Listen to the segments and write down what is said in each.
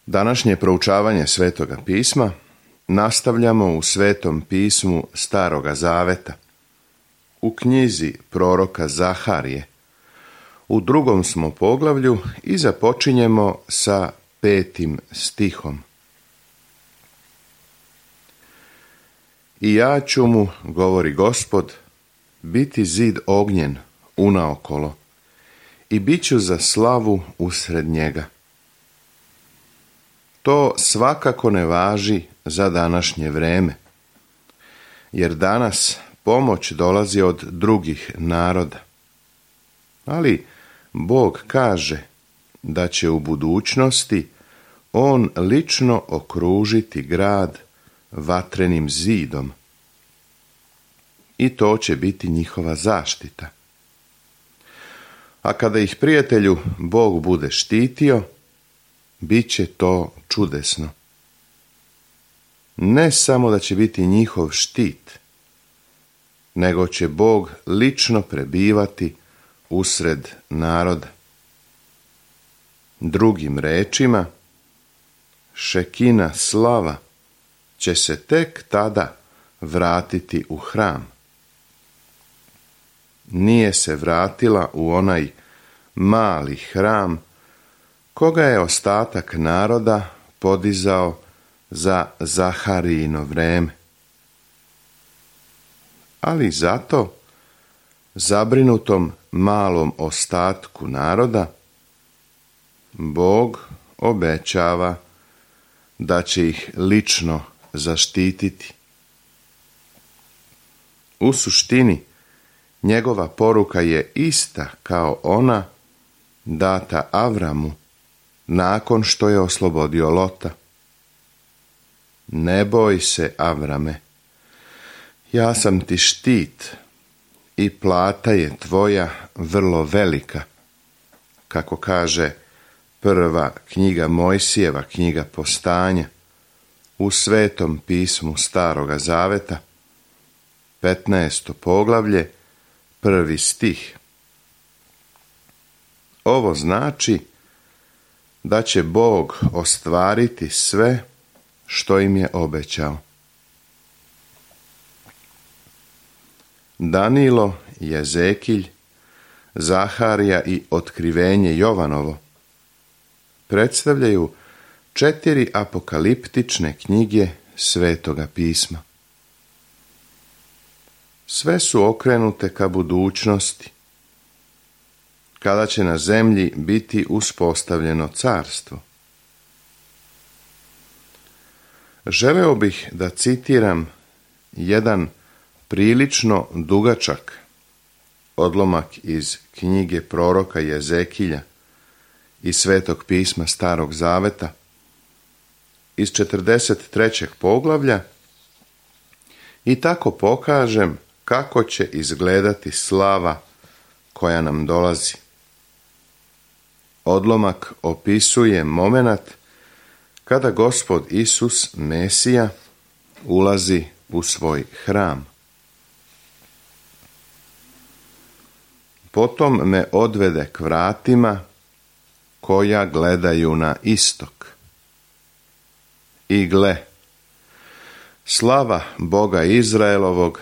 Današnje proučavanje Svetoga pisma nastavljamo u Svetom pismu Staroga Zaveta, u knjizi proroka Zaharije. U 2. smo poglavlju i započinjemo sa 5. stihom. I ja ću mu, govori Gospod, biti zid ognjen unaokolo i bit ću za slavu usred njega. To svakako ne važi za današnje vreme, jer danas pomoć dolazi od drugih naroda. Ali Bog kaže da će u budućnosti on lično okružiti grad vatrenim zidom. I to će biti njihova zaštita. A kada ih, prijatelju, Bog bude štitio, bit će to čudesno. Ne samo da će biti njihov štit, nego će Bog lično prebivati usred naroda. Drugim rečima, Šekina slava će se tek tada vratiti u hram. Nije se vratila u onaj mali hram koga je ostatak naroda podizao za Zaharijino vreme. Ali zato zabrinutom malom ostatku naroda Bog obećava da će ih lično zaštititi. U suštini, njegova poruka je ista kao ona data Avramu nakon što je oslobodio Lota. Ne boj se, Avrame, ja sam ti štit i plata je tvoja vrlo velika, kako kaže prva knjiga Mojsijeva, knjiga Postanja, u Svetom pismu Staroga Zaveta, 15. poglavlje, 1. stih. Ovo znači da će Bog ostvariti sve što im je obećao. Danilo, Jezekilj, Zaharija i Otkrivenje Jovanovo predstavljaju 4 apokaliptične knjige Svetoga pisma. Sve su okrenute ka budućnosti, kada će na zemlji biti uspostavljeno carstvo. Želeo bih da citiram jedan prilično dugačak odlomak iz knjige proroka Jezekilja i Svetog pisma Starog Zaveta iz 43. poglavlja i tako pokažem kako će izgledati slava koja nam dolazi. Odlomak opisuje momenat kada Gospod Isus, Mesija, ulazi u svoj hram. Potom me odvede k vratima koja gledaju na istok. I gle, slava Boga Izraelovog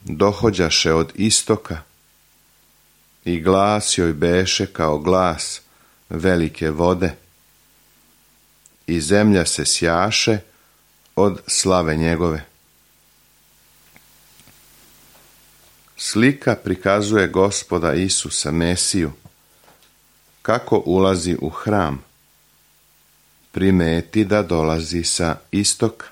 dohođaše od istoka i glas joj beše kao glas velike vode i zemlja se sjaše od slave njegove. Slika prikazuje Gospoda Isusa Mesiju kako ulazi u hram. Primeti da dolazi sa istoka.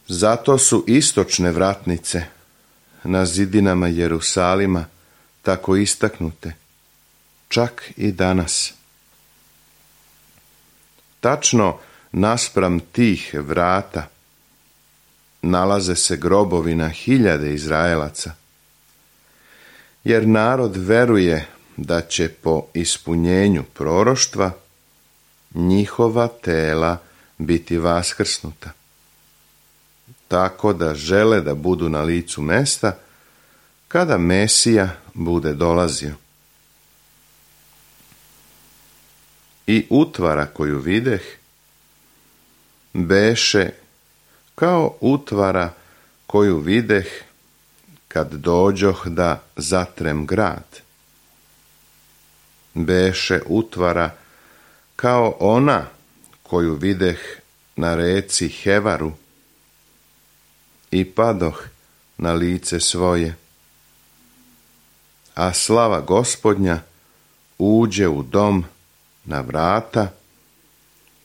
Zato su istočne vratnice na zidinama Jerusalima tako istaknute, čak i danas. Tačno naspram tih vrata nalaze se grobovi na hiljade Izraelaca, jer narod veruje da će po ispunjenju proroštva njihova tela biti vaskrsnuta, tako da žele da budu na licu mesta kada Mesija bude dolazio. i utvara koju videh beše kao utvara koju videh kad dođoh da zatrem grad. Beše utvara kao ona koju videh na reci Hevaru i padoh na lice svoje. A slava Gospodnja uđe u dom na vrata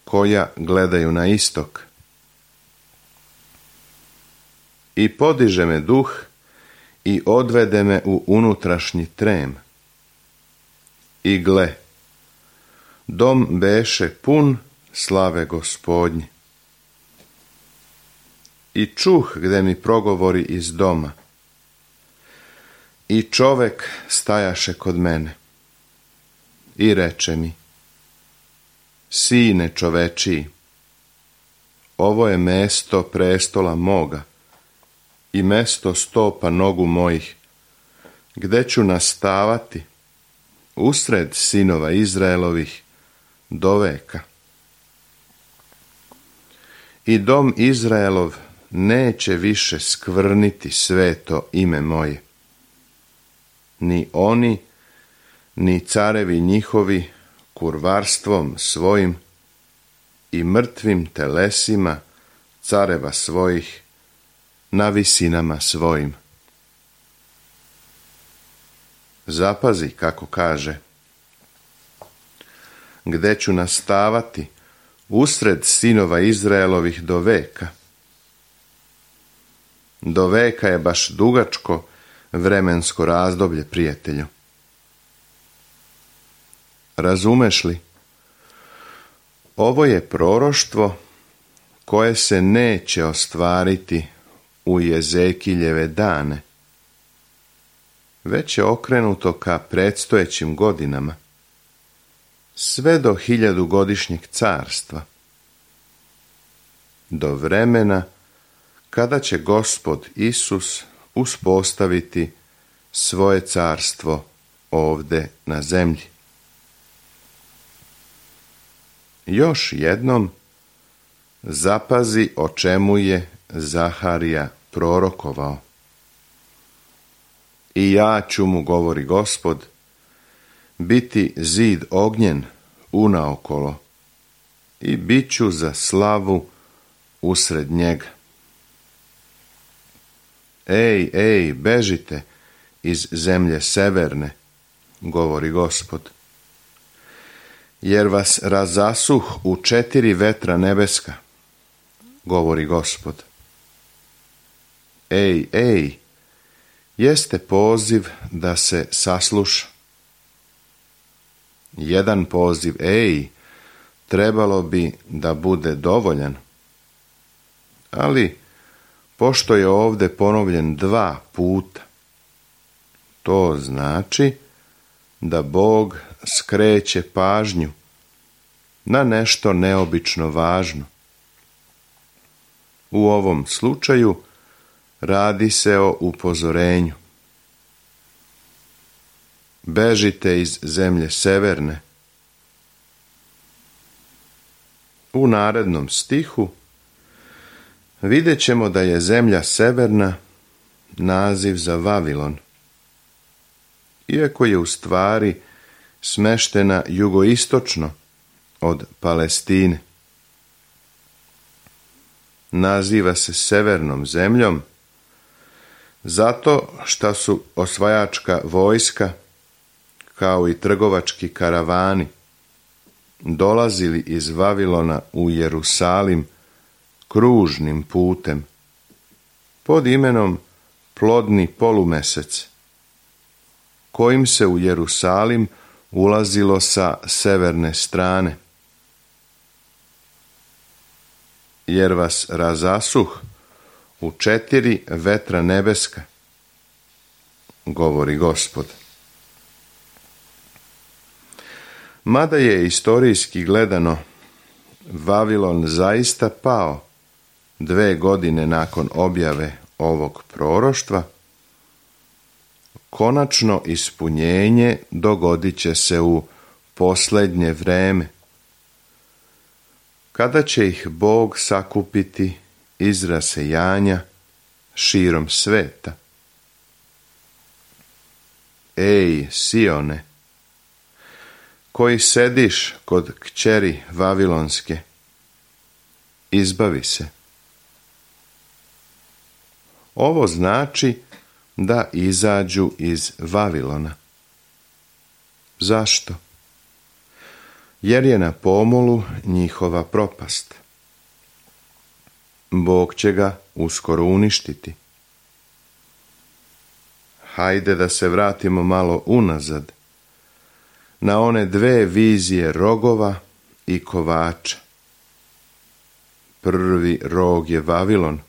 koja gledaju na istok. I podiže me duh i odvede me u unutrašnji trem. I gle, dom beše pun slave Gospodnje. I čuh gde mi progovori iz doma. I čovek stajaše kod mene. I reče mi: Sine čovečiji, ovo je mesto prestola moga i mesto stopa nogu mojih, gde ću nastavati usred sinova Izraelovih do veka. I dom Izraelov neće više skvrniti sveto ime moje. Ni oni, ni carevi njihovi kurvarstvom svojim i mrtvim telesima careva svojih na visinama svojim. Zapazi kako kaže: gde ću nastavati usred sinova Izraelovih do veka. Do veka je baš dugačko vremensko razdoblje, prijatelju. Razumeš li? Ovo je proroštvo koje se neće ostvariti u Jezekiljeve dane, već je okrenuto ka predstojećim godinama, sve do 1000-godišnjeg carstva, do vremena kada će Gospod Isus uspostaviti svoje carstvo ovde na zemlji. Još jednom zapazi o čemu je Zaharija prorokovao. I ja ću mu, govori Gospod, biti zid ognjen unaokolo i bit ću za slavu usred njega. Ej, bežite iz zemlje severne, govori Gospod, jer vas razasuh u 4 vetra nebeska, govori Gospod. Ej, jeste poziv da se sasluša. Jedan poziv, trebalo bi da bude dovoljan. Ali, pošto je ovde ponovljen 2 puta, to znači da Bog skreće pažnju na nešto neobično važno. U ovom slučaju radi se o upozorenju. Bežite iz zemlje severne. U narednom stihu vidjet ćemo da je zemlja severna naziv za Vavilon, iako je u stvari smeštena jugoistočno od Palestine. Naziva se severnom zemljom zato što su osvajačka vojska kao i trgovački karavani dolazili iz Vavilona u Jerusalim kružnim putem pod imenom Plodni polumesec, kojim se u Jerusalim ulazilo sa severne strane. Jer vas razasuh u 4 vetra nebeska, govori Gospod. Mada je istorijski gledano Vavilon zaista pao 2 godine nakon objave ovog proroštva, konačno ispunjenje dogodit će se u posljednje vreme, kada će ih Bog sakupiti iz rasejanja širom sveta. Ej, Sione, koji sediš kod kćeri Vavilonske, izbavi se. Ovo znači da izađu iz Vavilona. Zašto? Jer je na pomolu njihova propast. Bog će ga uskoro uništiti. Hajde da se vratimo malo unazad, na one dve vizije rogova i kovača. Prvi rog je Vavilon.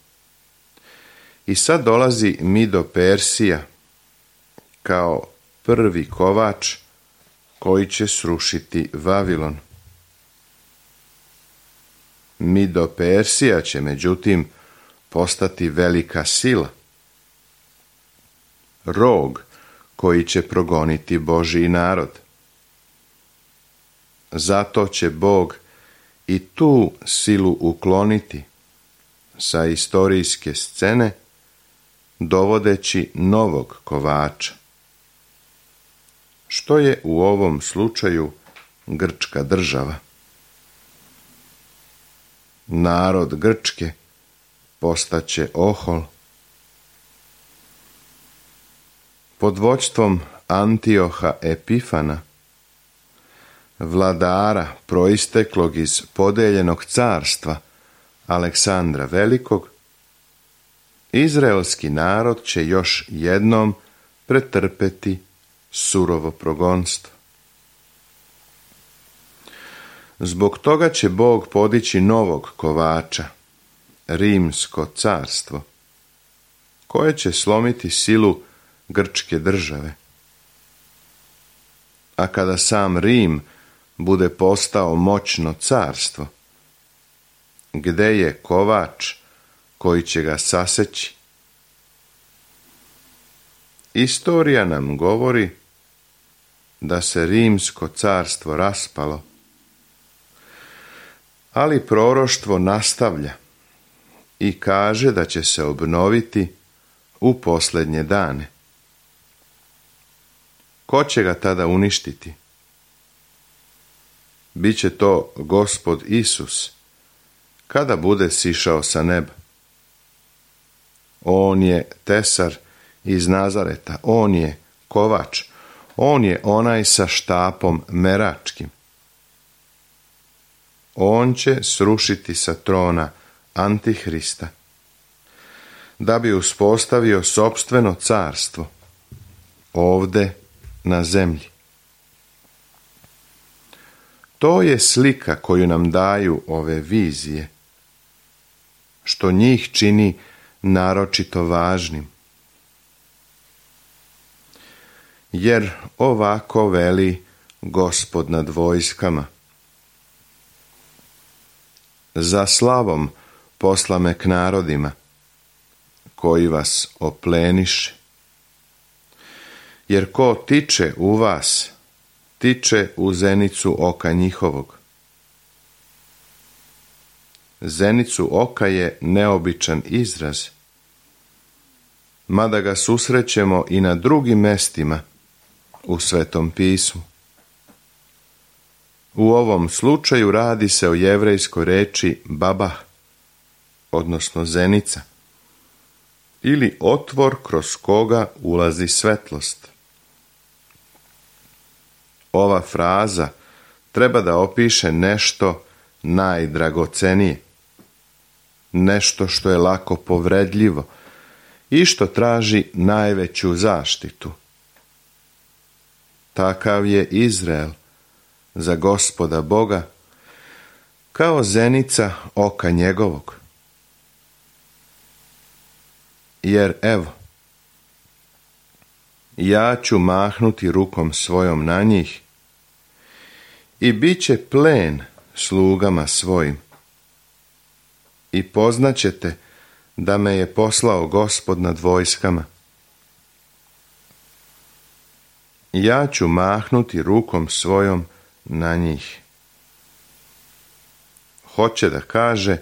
I sad dolazi Mido Persija kao prvi kovač koji će srušiti Vavilon. Mido Persija će međutim postati velika sila. Rog koji će progoniti Božji narod. Zato će Bog i tu silu ukloniti sa istorijske scene, dovodeći novog kovača. Što je u ovom slučaju grčka država. Narod Grčke postaće ohol. Pod vođstvom Antioha Epifana, vladara proisteklog iz podeljenog carstva Aleksandra Velikog, izraelski narod će još jednom pretrpeti surovo progonstvo. Zbog toga će Bog podići novog kovača, Rimsko carstvo, koje će slomiti silu grčke države. A kada sam Rim bude postao moćno carstvo, gde je kovač koji će ga saseći? Istorija nam govori da se Rimsko carstvo raspalo, ali proroštvo nastavlja i kaže da će se obnoviti u posljednje dane. Ko će ga tada uništiti? Biće to Gospod Isus, kada bude sišao sa neba. On je tesar iz Nazareta, on je kovač, on je onaj sa štapom meračkim. On će srušiti sa trona Antihrista, da bi uspostavio sopstveno carstvo ovde na zemlji. To je slika koju nam daju ove vizije, što njih čini naročito važnim. Jer ovako veli Gospod nad vojskama: za slavom posla me k narodima, koji vas opleniše. Jer ko tiče u vas, tiče u zenicu oka njihovog. Zenicu oka je neobičan izraz, mada ga susrećemo i na drugim mestima u Svetom pismu. U ovom slučaju radi se o jevrejskoj reči babah, odnosno zenica, ili otvor kroz koga ulazi svetlost. Ova fraza treba da opiše nešto najdragocenije, nešto što je lako povredljivo i što traži najveću zaštitu. Takav je Izrael za Gospoda Boga, kao zenica oka njegovog. Jer evo, ja ću mahnuti rukom svojom na njih i bit će plen slugama svojim. I poznaćete da me je poslao Gospod nad vojskama. Ja ću mahnuti rukom svojom na njih. hoće da kaže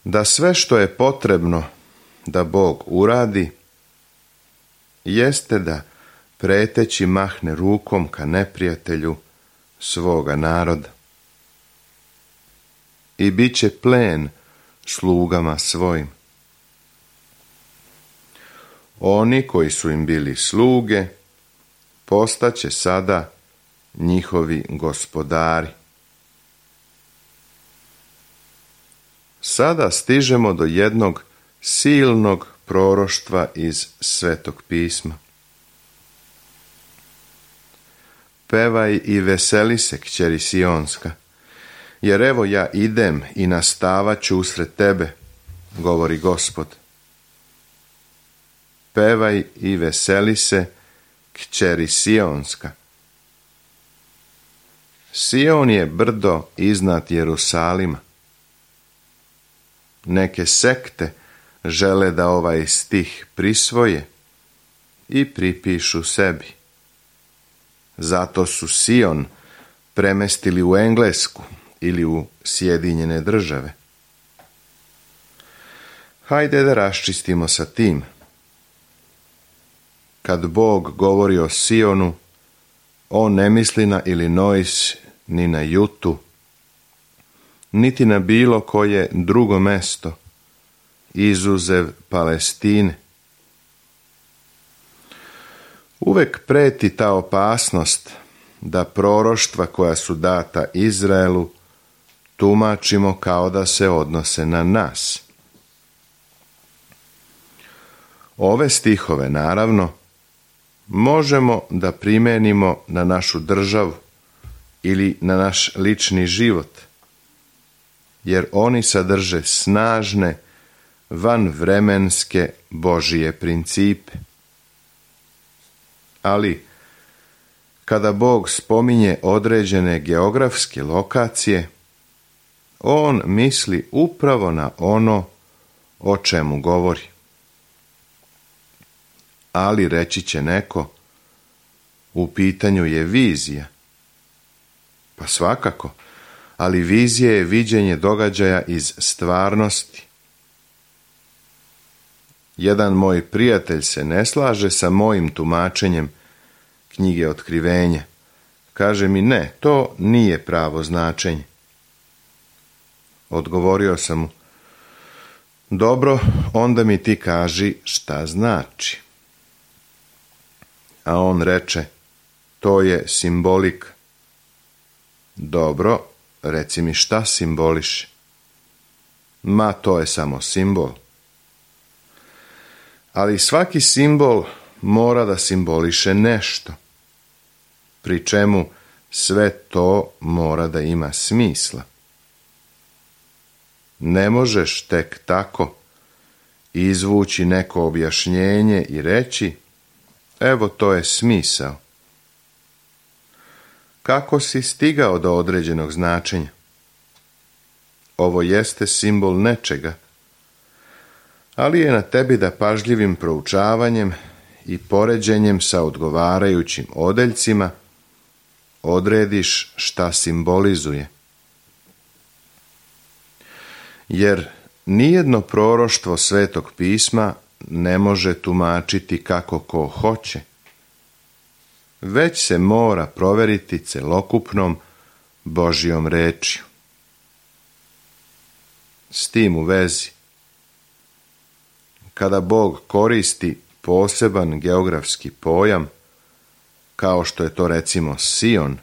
da sve što je potrebno da Bog uradi jeste da preteći mahne rukom ka neprijatelju svoga naroda i bit će plen slugama svojim. Oni koji su im bili sluge postaće sada njihovi gospodari. Sada stižemo do jednog silnog proroštva iz Svetog pisma. Pevaj i veseli se, kćeri Sionska, jer evo ja idem i nastavat ću usred tebe, govori Gospod. Pevaj i veseli se, kćeri Sionska. Sion je brdo iznad Jerusalima. Neke sekte žele da ovaj stih prisvoje i pripišu sebi. Zato su Sion premestili u Englesku ili u Sjedinjene Države. Hajde da raščistimo sa tim. Kad Bog govori o Sionu, on ne misli na Illinois ni na Jutu, niti na bilo koje drugo mesto, izuzev Palestine. Uvek preti ta opasnost da proroštva koja su data Izraelu tumačimo kao da se odnose na nas. Ove stihove, naravno, možemo da primenimo na našu državu ili na naš lični život, jer oni sadrže snažne, vanvremenske Božije principe. Ali, kada Bog spominje određene geografske lokacije, on misli upravo na ono o čemu govori. Ali reći će neko, u pitanju je vizija. Pa svakako, ali vizija je viđenje događaja iz stvarnosti. Jedan moj prijatelj se ne slaže sa mojim tumačenjem knjige Otkrivenja. Kaže mi, ne, to nije pravo značenje. Odgovorio sam mu, dobro, onda mi ti kaži šta znači. A on reče, to je simbolik. Dobro, reci mi šta simboliše. Ma, to je samo simbol. Ali svaki simbol mora da simboliše nešto, pri čemu sve to mora da ima smisla. Ne možeš tek tako izvući neko objašnjenje i reći, evo to je smisao. Kako si stigao do određenog značenja? Ovo jeste simbol nečega, ali je na tebi da pažljivim proučavanjem i poređenjem sa odgovarajućim odeljcima odrediš šta simbolizuje. Jer nijedno proroštvo Svetog pisma ne može tumačiti kako ko hoće, već se mora proveriti celokupnom Božjom rečju. S tim u vezi, kada Bog koristi poseban geografski pojam, kao što je to recimo Sion,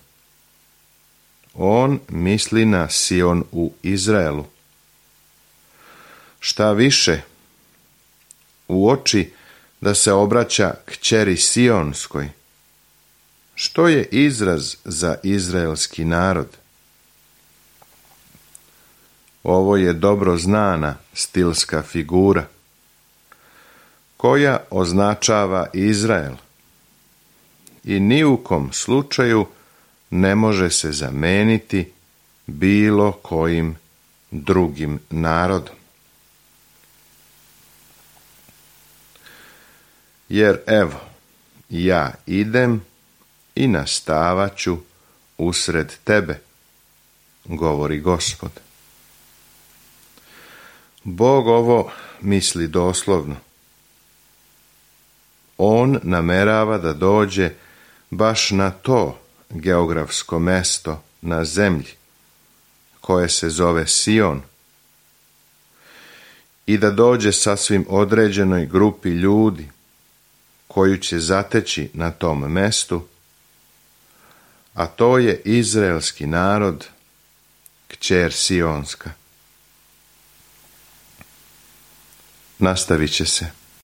on misli na Sion u Izraelu. Šta više, uoči da se obraća kćeri Sionskoj, što je izraz za izraelski narod. Ovo je dobro znana stilska figura, koja označava Izrael i ni u kom slučaju ne može se zameniti bilo kojim drugim narodom. Jer evo, ja idem i nastavat ću usred tebe, govori Gospod. Bog ovo misli doslovno. On namerava da dođe baš na to geografsko mesto na zemlji, koje se zove Sion, i da dođe sasvim određenoj grupi ljudi, koju će zateći na tom mestu, a to je izraelski narod, kćer Sionska. Nastavit će se.